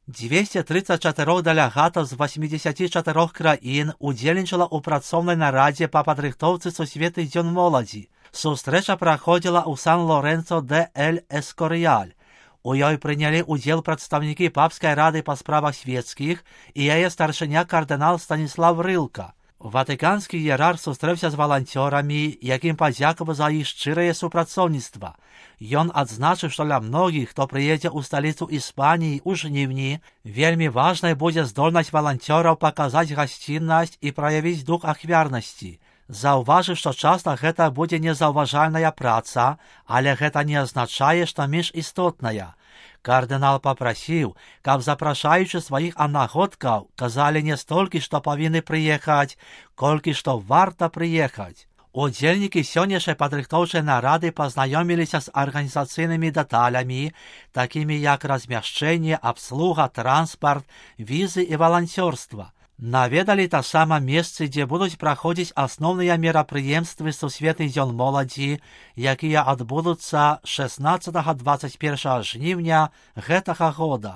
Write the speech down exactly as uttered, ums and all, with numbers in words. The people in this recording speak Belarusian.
дзвесце трыццаць чатыры дэлегатаў з васьмідзесяці чатырох краін удзельнічала ў працоўнай нарадзе па падрыхтоўцы сусветны дзён моладзі. Сустрэча праходзіла ў Сан-Лоренцо де эль Эскоріяль. У ёй прынялі ўдзел прадстаўнікі папскай рады па справах свецкіх і яе старшыня кардынал Станіслав Рылка. Ватыканскі іерарх сустрэўся з валанцёрамі, якім падзякаваў за іх шчырае супрацоўніцтва. Ён адзначыў, што для многіх, хто прыедзе ў сталіцу Іспаніі ў жніўні, вельмі важнай будзе здольнасць валанцёраў паказаць гасціннасць і праявіць дух ахвярнасці. Заўважыў, што часта гэта будзе незаўважальная праца, але гэта не азначае, што менш істотная. Кардынал папрасіў, каб запрашаючы сваіх аднагодкаў казалі не столькі, што павінны прыехаць, колькі што варта прыехаць. Удзельнікі сённяшняй падрыхтоўчай нарады пазнаёміліся з арганізацыйнымі дэталямі, такімі як размяшчэнне, абслуга, транспарт, візы і валанцёрства. Наведалі таксама месцы, дзе будуць праходзіць асноўныя мерапрыемствы сусветны дзён моладзі, якія адбудуцца шаснаццатага - дваццаць першага жніўня гэтага года.